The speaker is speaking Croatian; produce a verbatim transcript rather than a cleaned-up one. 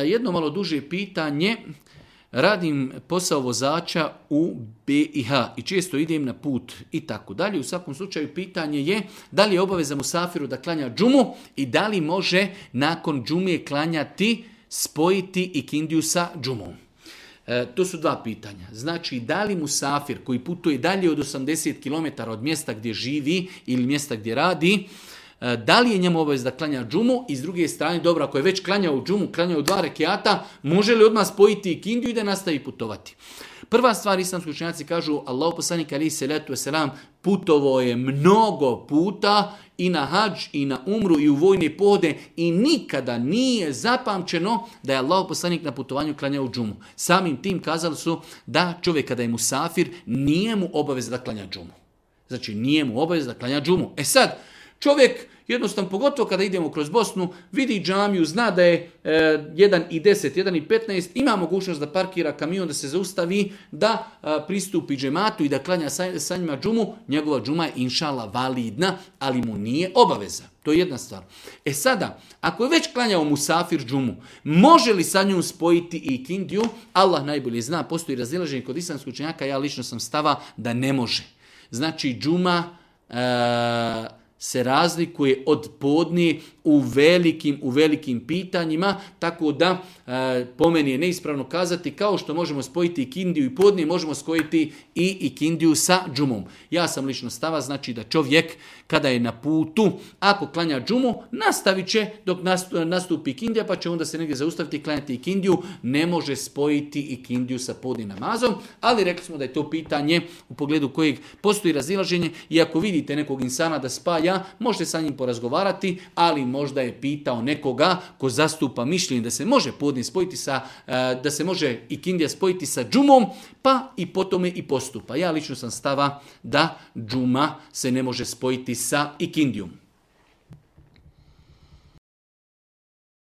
Jedno malo duže pitanje. Radim posao vozača u B i H i često idem na put i tako dalje. U svakom slučaju pitanje je da li je obaveza musafiru da klanja džumu i da li može nakon džume klanjati, spojiti ikindiju sa džumom. E, to su dva pitanja. Znači, da li musafir koji putuje dalje od osamdeset kilometara od mjesta gdje živi ili mjesta gdje radi, e, da li je njemu obavez da klanja džumu i s druge strane, dobro, ako je već klanjao džumu, klanjao dva rekiata, može li odmah spojiti ikindiju i da nastavi putovati? Prva stvar, islamski učenjaci kažu, Allahu poslanik alejhi selatu vesselam putovao je mnogo puta i na hadž, i na umru, i u vojne pohode i nikada nije zapamćeno da je Allahu poslanik na putovanju klanjao džumu. Samim tim kazali su da čovjek kada je musafir nije mu obavez da klanja džumu. Znači nije mu obavez da klanja džumu. E sad, čovjek jednostavno, pogotovo kada idemo kroz Bosnu, vidi džamiju, zna da je e, jedan i deset, jedan i petnaest, ima mogućnost da parkira kamion, da se zaustavi, da a, pristupi džematu i da klanja sa, sa njima džumu, njegova džuma je inšala validna, ali mu nije obaveza. To je jedna stvar. E sada, ako je već klanjao musafir džumu, može li sa njom spojiti i ikindiju? Allah najbolje zna, postoji razilaženje kod islamskih učenjaka, ja lično sam stava da ne može. Znači džuma E, se razlikuje od podne u velikim, u velikim pitanjima, tako da e, po meni je neispravno kazati kao što možemo spojiti ikindiju i podne, možemo spojiti i ikindiju sa džumom. Ja sam lično stava, znači da čovjek kada je na putu, ako klanja džumu, nastavit će dok nastupi ikindija, pa će onda se negdje zaustaviti i klanjati ikindiju, ne može spojiti ikindiju sa podne namazom, ali rekli smo da je to pitanje u pogledu kojeg postoji razilaženje i ako vidite nekog insana da spaja, možete sa njim porazgovarati, ali možda je pitao nekoga ko zastupa mišljenje da se može podne spojiti sa, da se može ikindija spojiti sa džumom, pa i po tome i postupa. Ja lično sam stava da džuma se ne može spojiti sa ikindijom.